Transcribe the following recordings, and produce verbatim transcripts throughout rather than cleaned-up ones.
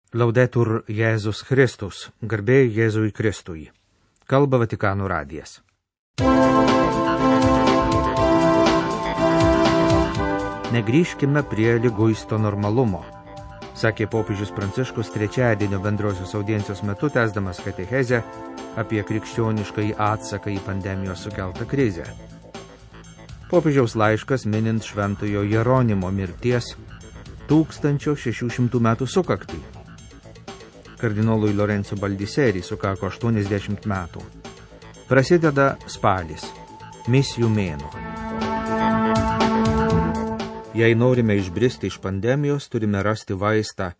Laudetur Jėzus Kristus, garbė Jėzui Kristui. Kalba Vatikano radijas. Negrįžkime prie liguisto normalumo, sakė popiežius Pranciškus trečiadienio bendrosios audiencijos metu, tęsdamas katechezę apie krikščioniškąjį atsaką į pandemijos sukeltą krizę. Popiežiaus laiškas minint šventojo Jeronimo mirties tūkstančio šešių šimtų metų sukaktį. Kardinolui Lorenzo Baldiseri sukako aštuoniasdešimt metų. Prasideda spalis, misijų mėnuo. Jei norime išbristi iš pandemijos, turime rasti vaistą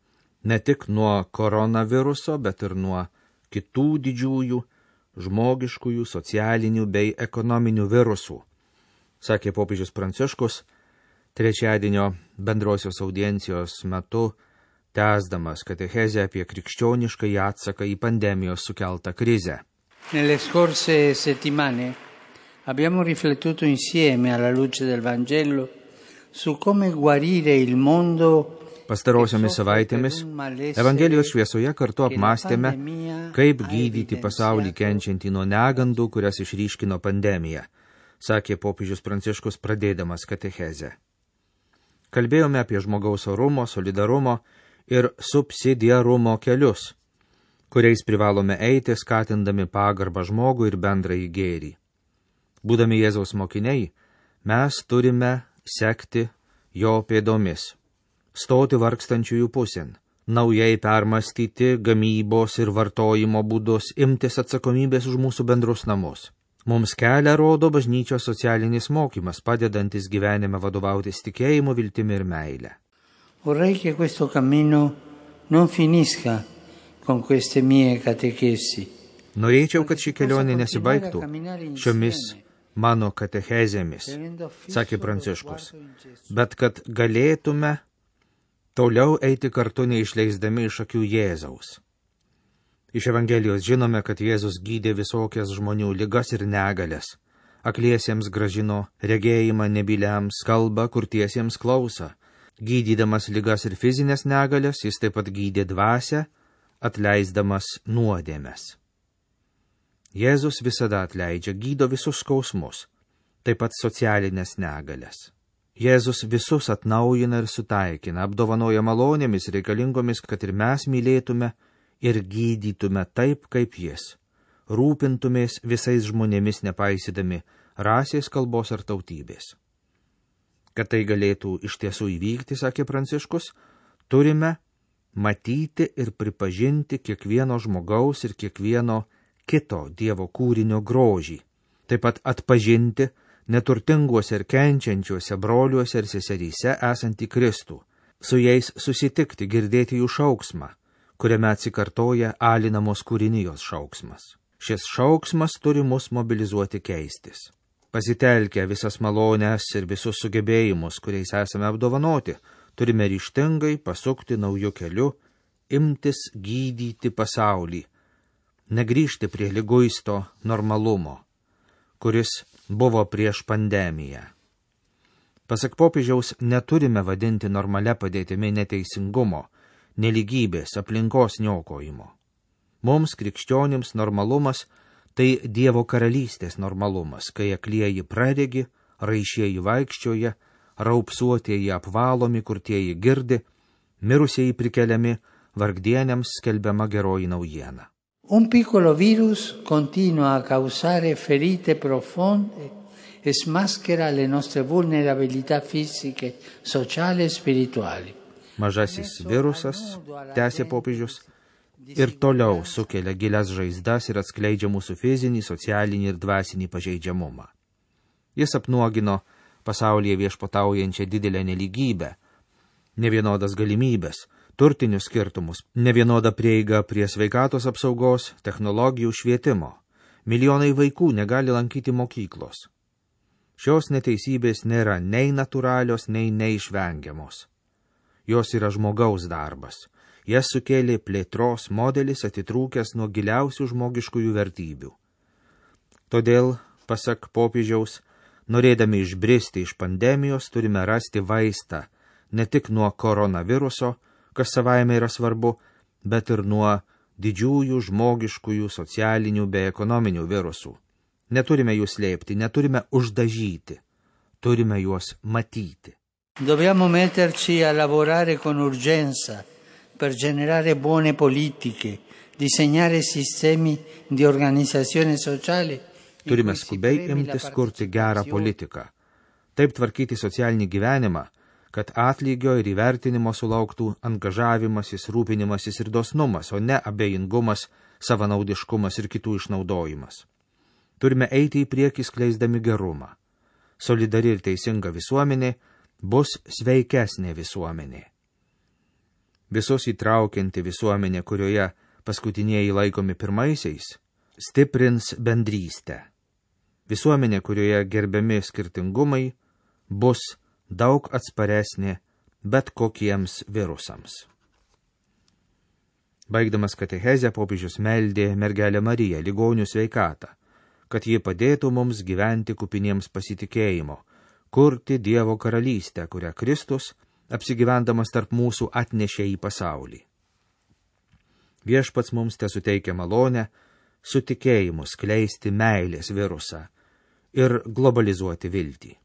ne tik nuo koronaviruso, bet ir nuo kitų didžiųjų, žmogiškųjų, socialinių bei ekonominių virusų, sakė popiežius Pranciškus trečiadienio bendrosios audiencijos metu, tęsdamas katechezę apie krikščioniškąjį atsaką į pandemijos sukeltą krizę. Nelle scorse settimane abbiamo riflettuto insieme alla luce del Vangelo su come guarire il mondo. Pastarosiomis savaitėmis Evangelijos šviesoje kartu apmąstėme, kaip gydyti pasaulį kenčiantį nuo negandų, kurias išryškino pandemija, sakė popiežius Pranciškus pradėdamas katechezę. Kalbėjome apie žmogaus orumo, solidarumo ir subsidiarumo kelius, kuriais privalome eiti, skatindami pagarbą žmogų ir bendrąjį gėrį. Būdami Jėzaus mokiniai, mes turime sekti jo pėdomis, stoti vargstančiųjų pusėn, naujai permastyti gamybos ir vartojimo būdus, imtis atsakomybės už mūsų bendrus namus. Mums kelią rodo bažnyčios socialinis mokymas, padedantis gyvenime vadovautis tikėjimu, viltimi ir meile. Vorrei che questo cammino non finisca con queste mie catechesi. Norėčiau, kad ši kelionė nesibaigtų šiomis mano katechezėmis, sakė Pranciškus, bet kad galėtume toliau eiti kartu neišleisdami iš akių Jėzaus. Iš Evangelijos žinome, kad Jėzus gydė visokias žmonių ligas ir negalias, akliesiems gražino regėjimą, nebyliams kalbą, kurtiesiems klausą. Gydydamas ligas ir fizinės negalias, jis taip pat gydė dvasią, atleisdamas nuodėmes. Jėzus visada atleidžia, gydo visus skausmus, taip pat socialinės negalias. Jėzus visus atnaujina ir sutaikina, apdovanoja malonėmis reikalingomis, kad ir mes mylėtume ir gydytume taip, kaip jis, rūpintumės visais žmonėmis nepaisydami rasės, kalbos ar tautybės. Kad tai galėtų iš tiesų įvykti, sakė Pranciškus, turime matyti ir pripažinti kiekvieno žmogaus ir kiekvieno kito Dievo kūrinio grožį, taip pat atpažinti neturtinguose ir kenčiančiuose broliuose ir seseryse esantį Kristų, su jais susitikti, girdėti jų šauksmą, kuriame atsikartoja alinamos kūrinijos šauksmas. Šis šauksmas turi mus mobilizuoti keistis. Pasitelkę visas malonės ir visus sugebėjimus, kuriais esame apdovanoti, turime ryžtingai pasukti naujų kelių, imtis gydyti pasaulį, negrįžti prie liguisto normalumo, kuris buvo prieš pandemiją. Pasak popiežiaus, neturime vadinti normalia padėtimi neteisingumo, nelygybės, aplinkos niokojimo. Mums, krikščionims, normalumas tai Dievo karalystės normalumas, kai aklieji praregi, raišieji vaikščioja, raupsuotieji apvalomi, kurtieji girdi, mirusieji prikeliami, vargdieniams skelbiama geroji naujiena. Un piccolo virus continua a causare ferite profonde e smaschera le nostre vulnerabilità fisiche, sociali e spirituali. Mažasis virusas, tęsė popiežius, ir toliau sukelia gilias žaizdas ir atskleidžia mūsų fizinį, socialinį ir dvasinį pažeidžiamumą. Jis apnuogino pasaulyje viešpataujančią didelę nelygybę, nevienodas galimybės, turtinius skirtumus, nevienodą prieigą prie sveikatos apsaugos, technologijų, švietimo. Milijonai vaikų negali lankyti mokyklos. Šios neteisybės nėra nei natūralios, nei neišvengiamos. Jos yra žmogaus darbas. Jas sukėlė plėtros modelis atitrūkęs nuo giliausių žmogiškųjų vertybių. Todėl, pasak popiežiaus, norėdami išbristi iš pandemijos, turime rasti vaistą ne tik nuo koronaviruso, kas savaime yra svarbu, bet ir nuo didžiųjų žmogiškųjų, socialinių bei ekonominių virusų. Neturime jų slėpti, neturime uždažyti, turime juos matyti. Dobbiamo metterci a lavorare con urgenza per generare buone politiche, disegnare sistemi di organizzazione sociale. Turime skubiai imtis kurti gerą politiką, taip tvarkyti socialinį gyvenimą, kad atlygio ir įvertinimo sulauktų angažavimasis, rūpinimasis ir dosnumas, o ne abejingumas, savanaudiškumas ir kitų išnaudojimas. Turime eiti į priekį skleisdami gerumą. Solidari ir teisinga visuomenė bus sveikesnė visuomenė. Visus įtraukianti visuomenė, kurioje paskutinieji laikomi pirmaisiais, stiprins bendrystę. Visuomenė, kurioje gerbiami skirtingumai, bus daug atsparesnė bet kokiems virusams. Baigdamas katechezę, popiežius meldė mergelę Mariją, ligonių sveikatą, kad ji padėtų mums gyventi kupiniems pasitikėjimo, kurti Dievo karalystę, kurią Kristus, apsigyvendamas tarp mūsų, atnešė į pasaulį. Viešpats mums tesuteikia malonę su tikėjimu skleisti meilės virusą ir globalizuoti viltį.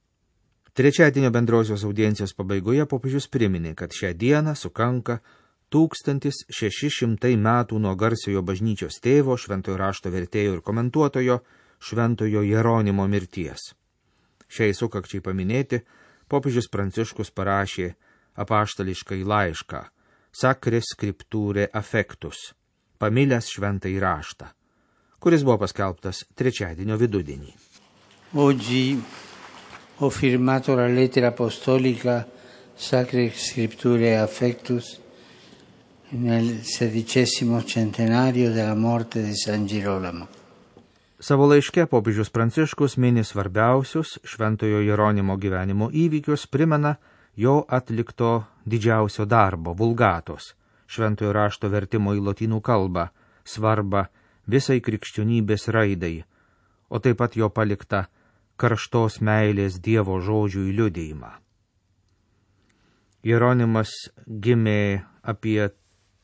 Trečiadienio bendrosios audiencijos pabaigoje popiežius priminė, kad šią dieną sukanka tūkstantis šeši šimtai metų nuo garsiojo bažnyčios tėvo, šventojo rašto vertėjo ir komentuotojo, šventojo Jeronimo mirties. Šiai sukakčiai paminėti, popiežius Pranciškus parašė apaštališkai laišką Sacre Scripturae Affectus, pamilęs šventąjį raštą, kuris buvo paskelbtas trečiadienio vidudienį. Oggi ho firmato la lettera apostolica Sacre Scripturae Affectus nel sedicesimo centenario della morte di San Girolamo. Savo laiške popiežius Pranciškus mini svarbiausius šventojo Jeronimo gyvenimo įvykius, primena jo atlikto didžiausio darbo, vulgatos, šventojo rašto vertimo į lotynų kalbą, svarbą visai krikščionybės raidai, o taip pat jo paliktą karštos meilės Dievo žodžių liudijimą. Jeronimas gimė apie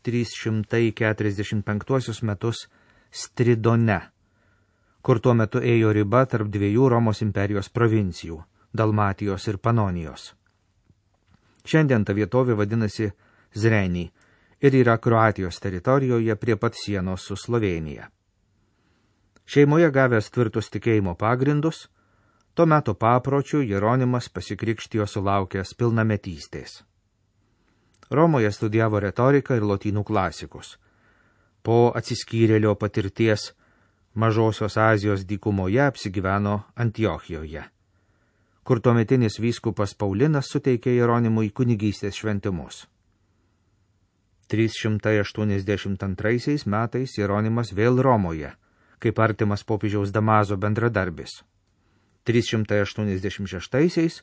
trys šimtai keturiasdešimt penktuosius metus Stridone, kur tuo metu ėjo riba tarp dviejų Romos imperijos provincijų – Dalmatijos ir Panonijos. Šiandien ta vietovė vadinasi Zrenij ir yra Kroatijos teritorijoje prie pat sienos su Slovėnija. Šeimoje gavęs tvirtus tikėjimo pagrindus, tuo metu papročių Jeronimas pasikrikštijo sulaukęs pilnametystės. Romoje studijavo retoriką ir lotynų klasikus. Po atsiskyrėlio patirties Mažosios Azijos dykumoje apsigyveno Antiochijoje, kur tuometinis vyskupas Paulinas suteikė Jeronimui kunigystės šventimus. trys šimtai aštuoniasdešimt antraisiais metais Jeronimas vėl Romoje, kaip artimas popiežiaus Damaso bendradarbis. trys šimtai aštuoniasdešimt šeštaisiais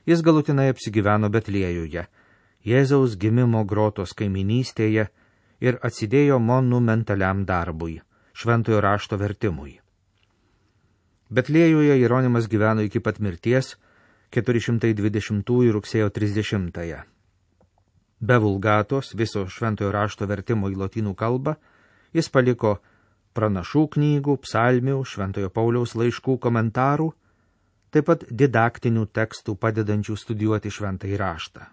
jis galutinai apsigyveno Betliejuje, Jėzaus gimimo grotos kaiminystėje ir atsidėjo monumentaliam darbui, šventojo rašto vertimui. Betliejuje Jeronimas gyveno iki pat mirties keturi šimtai dvidešimtųjų rugsėjo trisdešimtąją. Be vulgatos, viso šventojo rašto vertimo į lotynų kalbą, jis paliko pranašų knygų, psalmių, šventojo Pauliaus laiškų komentarų, taip pat didaktinių tekstų padedančių studijuoti šventąjį raštą.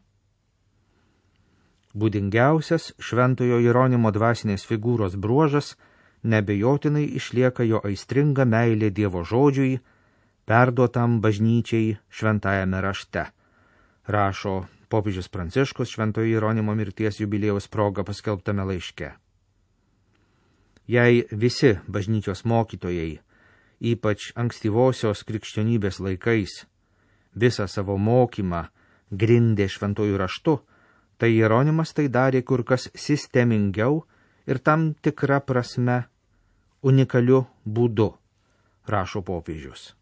Būdingiausias šventojo Jeronimo dvasinės figūros bruožas nebejotinai išlieka jo aistringa meilė Dievo žodžiui, perduotam bažnyčiai šventajame rašte, rašo popiežius Pranciškus šventojo Jeronimo mirties jubiliejaus proga paskelbtame laiške. Jei visi bažnyčios mokytojai, ypač ankstyvosios krikščionybės laikais, visą savo mokymą grindė šventojų raštu, tai Jeronimas tai darė kur kas sistemingiau ir tam tikra prasme unikaliu būdu, rašo popiežius.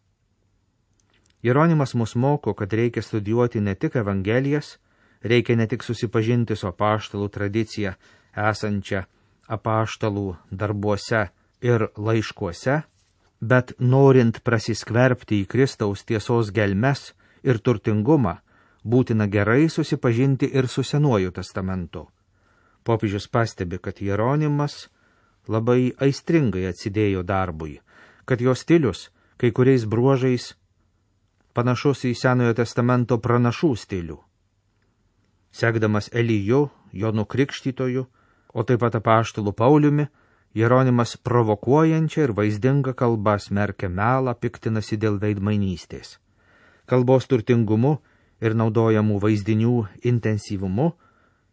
Jeronimas mus moko, kad reikia studijuoti ne tik Evangelijas, reikia ne tik susipažinti su apaštalų tradicija esančia apaštalų darbuose ir laiškuose, bet norint prasiskverbti į Kristaus tiesos gelmes ir turtingumą, būtina gerai susipažinti ir su Senuoju testamentu. Popiežius pastebi, kad Jeronimas labai aistringai atsidėjo darbui, kad jo stilius kai kuriais bruožais panašus į Senojo testamento pranašų stilių. Sekdamas Eliju, Jonu Krikštytoju, o taip pat apaštalu Pauliumi, Jeronimas provokuojančia ir vaizdinga kalba smerkia melą, piktinasi dėl veidmainystės. Kalbos turtingumu ir naudojamų vaizdinių intensyvumu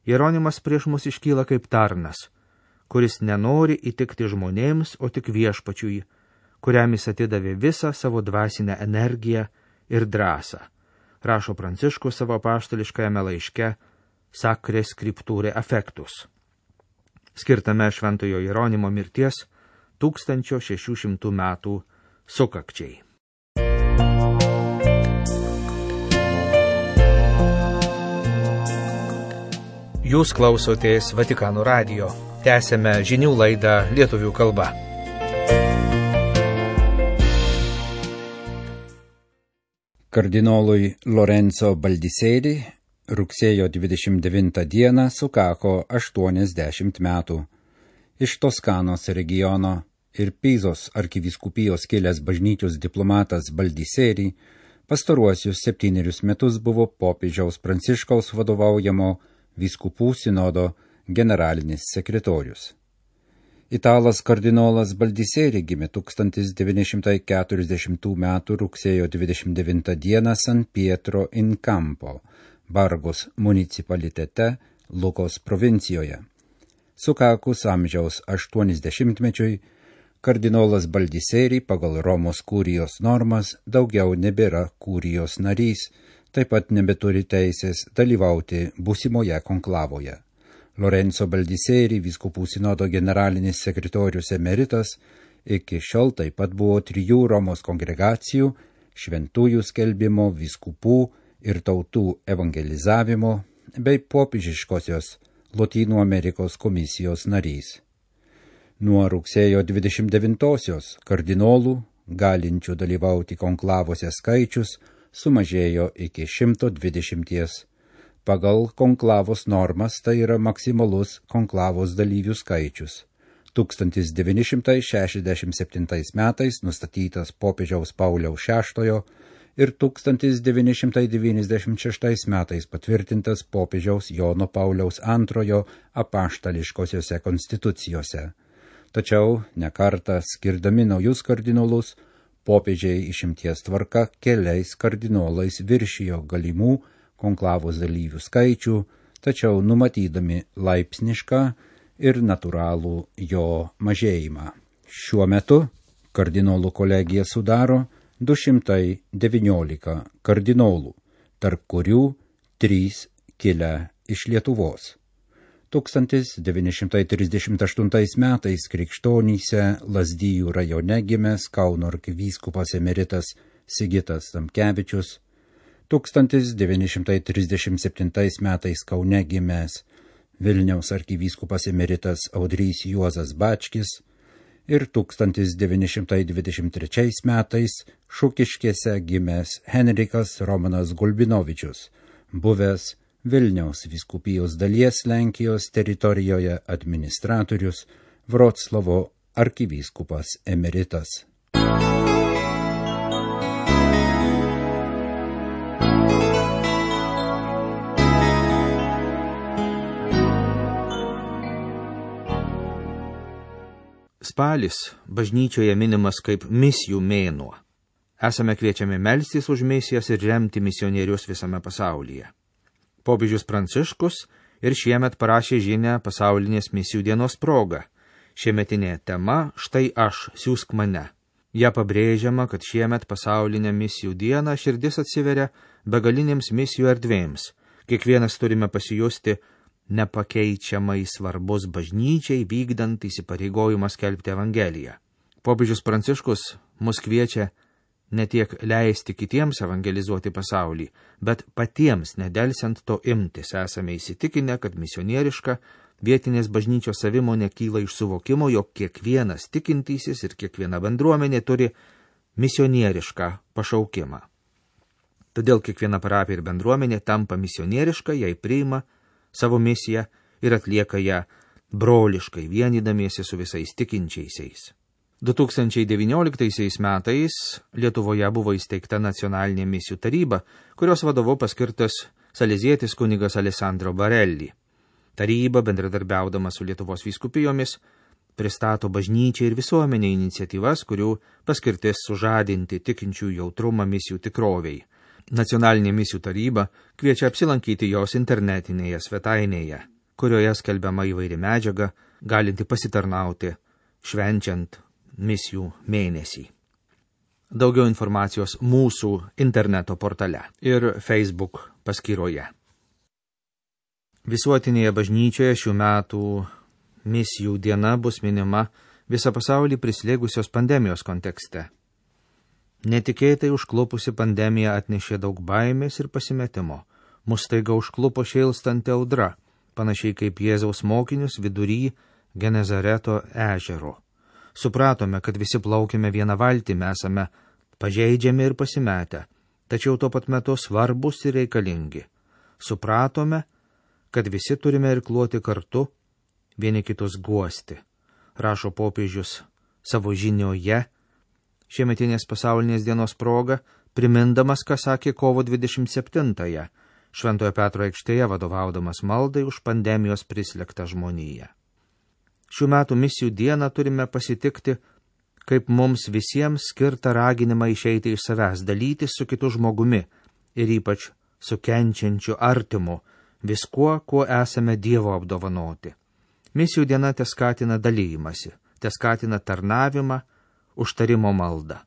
Jeronimas prieš mus iškyla kaip tarnas, kuris nenori įtikti žmonėms, o tik viešpačiui, kuriam jis atidavė visą savo dvasinę energiją ir drąsą, rašo Pranciškus savo apaštališkajame laiške Sacre Scripturae Affectus, skirtame šventojo Jeronimo mirties tūkstančio šešių šimtų metų sukakčiai. Jūs klausotės Vatikano radijo. Tęsėme žinių laidą lietuvių kalba. Kardinolui Lorenzo Baldiseri rugsėjo dvidešimt devintą dieną sukako aštuoniasdešimt metų. Iš Toskanos regiono ir Pizos arkivyskupijos kilęs bažnyčios diplomatas Baldiseri pastaruosius septynerius metus buvo popiežiaus Pranciškaus vadovaujamo vyskupų sinodo generalinis sekretorius. Italas kardinolas Baldiseri gimė tūkstantis devyni šimtai keturiasdešimtų metų rugsėjo dvidešimt devintą dieną San Pietro in Campo, Bargos municipalitete, Lukos provincijoje. Sukakus amžiaus aštuoniasdešimtmečiui, kardinolas Baldiseri pagal Romos kurijos normas daugiau nebėra kurijos narys, taip pat nebeturi teisės dalyvauti būsimoje konklavoje. Lorenzo Baldiseri, vyskupų sinodo generalinis sekretorius emeritas, iki šiol taip pat buvo trijų Romos kongregacijų, šventųjų skelbimo, vyskupų ir tautų evangelizavimo bei popiežiškosios Lotynų Amerikos komisijos narys. Nuo rugsėjo dvidešimt devintosios kardinolų, galinčių dalyvauti konklavose skaičius, sumažėjo iki šimto dvidešimties. Pagal konklavos normas tai yra maksimalus konklavos dalyvių skaičius. tūkstantis devyni šimtai šešiasdešimt septintais metais nustatytas popiežiaus Pauliaus šeštojo ir tūkstantis devyni šimtai devyniasdešimt šeštais metais patvirtintas popiežiaus Jono Pauliaus antrojo apaštališkosiose konstitucijose. Tačiau nekartą skirdami naujus kardinolus, popiežiai išimties tvarka keliais kardinolais viršijo galimų konklavos dalyvių skaičių, tačiau numatydami laipsnišką ir natūralų jo mažėjimą. Šiuo metu kardinolų kolegija sudaro du šimtai devyniolika kardinolų, tarp kurių trys kilę iš Lietuvos. tūkstantis devyni šimtai trisdešimt aštuntais metais Krikštonyse Lazdijų rajone gimęs Kauno arkivyskupas emeritas Sigitas Tamkevičius, tūkstantis devyni šimtai trisdešimt septintais metais Kaune gimęs Vilniaus arkivyskupas emeritas Audrys Juozas Bačkis ir tūkstantis devyni šimtai dvidešimt trečiais metais Šukiškėse gimęs Henrikas Romanas Gulbinovičius, buvęs Vilniaus vyskupijos dalies Lenkijos teritorijoje administratorius, Vroclavo arkivyskupas emeritas. Spalis bažnyčioje minimas kaip misijų mėnuo. Esame kviečiami melstis už misijas ir remti misionierius visame pasaulyje. Popiežius Pranciškus ir šiemet parašė žinią pasaulinės misijų dienos proga. Šiemetinė tema štai aš, siųsk mane. Ja pabrėžiama, kad šiemet pasaulinę misijų dieną širdis atsiveria begalinėms misijų erdvėms. Kiekvienas turime pasijusti nepakeičiamai svarbus bažnyčiai vykdant įsipareigojimą skelbti Evangeliją. Popiežius Pranciškus mus kviečia ne tiek leisti kitiems evangelizuoti pasaulį, bet patiems nedelsiant to imtis. Esame įsitikinę, kad misionieriška vietinės bažnyčios savimonė kyla iš suvokimo, jog kiekvienas tikintysis ir kiekviena bendruomenė turi misionierišką pašaukimą. Todėl kiekviena parapija ir bendruomenė tampa misionieriška, jei priima savo misiją ir atlieka ją broliškai vienydamiesi su visais tikinčiaisiais. du tūkstančiai devynioliktaisiais metais Lietuvoje buvo įsteigta nacionalinė misijų taryba, kurios vadovu paskirtas salezietis kunigas Alessandro Barelli. Taryba, bendradarbiaudama su Lietuvos vyskupijomis, pristato bažnyčiai ir visuomenė iniciatyvas, kurių paskirtis sužadinti tikinčių jautrumą misijų tikroviai. Nacionalinė misijų taryba kviečia apsilankyti jos internetinėje svetainėje, kurioje skelbiama įvairi medžiaga, galinti pasitarnauti švenčiant misijų mėnesį. Daugiau informacijos mūsų interneto portale ir Facebook paskyroje. Visuotinėje bažnyčioje šių metų misijų diena bus minima visą pasaulį prislėgusios pandemijos kontekste. Netikėtai užklupusi pandemija atnešė daug baimės ir pasimetimo. Mus staiga užklupo šėlstanti audra, panašiai kaip Jėzaus mokinius vidury Genezareto ežero. Supratome, kad visi plaukime vieną valtį, mes esame pažeidžiami ir pasimetę, tačiau tuo pat metu svarbus ir reikalingi. Supratome, kad visi turime irkluoti kartu, vieni kitus guosti, rašo popiežius savo žinioje šiemetinės pasaulinės dienos proga, primindamas, ką sakė kovo dvidešimt septintąją, Šventojo Petro aikštėje vadovaudamas maldai už pandemijos prislėgtą žmoniją. Šių metų misijų dieną turime pasitikti, kaip mums visiems skirtą raginimą išeiti iš savęs, dalytis su kitu žmogumi ir ypač su kenčiančiu artimu, viskuo, kuo esame Dievo apdovanoti. Misijų diena teskatina dalymasi, teskatina tarnavimą, užtarimo maldą.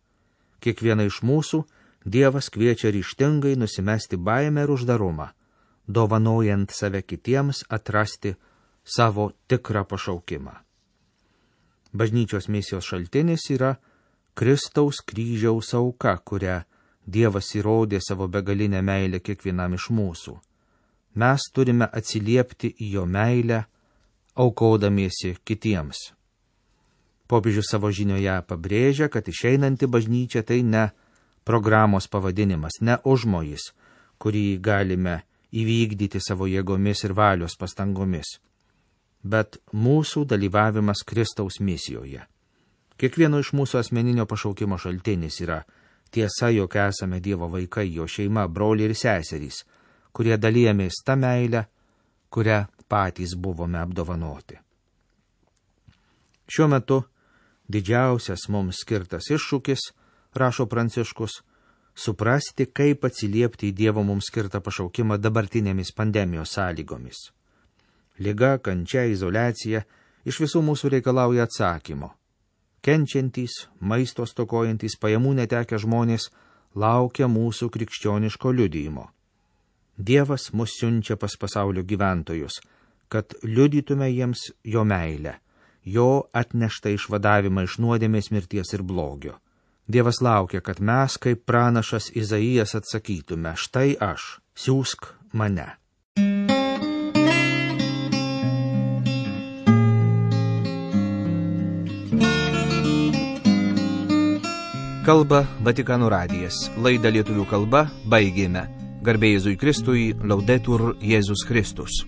Kiekvieną iš mūsų Dievas kviečia ryžtingai nusimesti baimę ir uždarumą, dovanojant save kitiems atrasti savo tikrą pašaukimą. Bažnyčios misijos šaltinis yra Kristaus kryžiaus auka, kurią Dievas įrodė savo begalinę meilę kiekvienam iš mūsų. Mes turime atsiliepti į jo meilę, aukodamiesi kitiems. Popiežius savo žinioje pabrėžia, kad išeinanti bažnyčia tai ne programos pavadinimas, ne užmojis, kurį galime įvykdyti savo jėgomis ir valios pastangomis, bet mūsų dalyvavimas Kristaus misijoje. Kiekvieno iš mūsų asmeninio pašaukimo šaltinis yra tiesa, jog esame Dievo vaikai, jo šeima, broliai ir seserys, kurie dalijamės tą meilę, kurią patys buvome apdovanoti. Šiuo metu didžiausias mums skirtas iššūkis, rašo Pranciškus, suprasti, kaip atsiliepti į Dievo mums skirtą pašaukimą dabartinėmis pandemijos sąlygomis. Liga, kančia, izoliacija iš visų mūsų reikalauja atsakymo. Kenčiantys, maisto stokojantys, pajamų netekę žmonės laukia mūsų krikščioniško liudijimo. Dievas mus siunčia pas pasaulio gyventojus, kad liudytume jiems jo meilę, jo atneštą išvadavimą iš nuodėmės, mirties ir blogio. Dievas laukia, kad mes, kaip pranašas Izaijas, atsakytume, štai aš, siųsk mane. Kalba Vatikano radijas. Laidą lietuvių kalba baigėme. Garbė Jėzui Kristui, Laudetur Jėzus Kristus.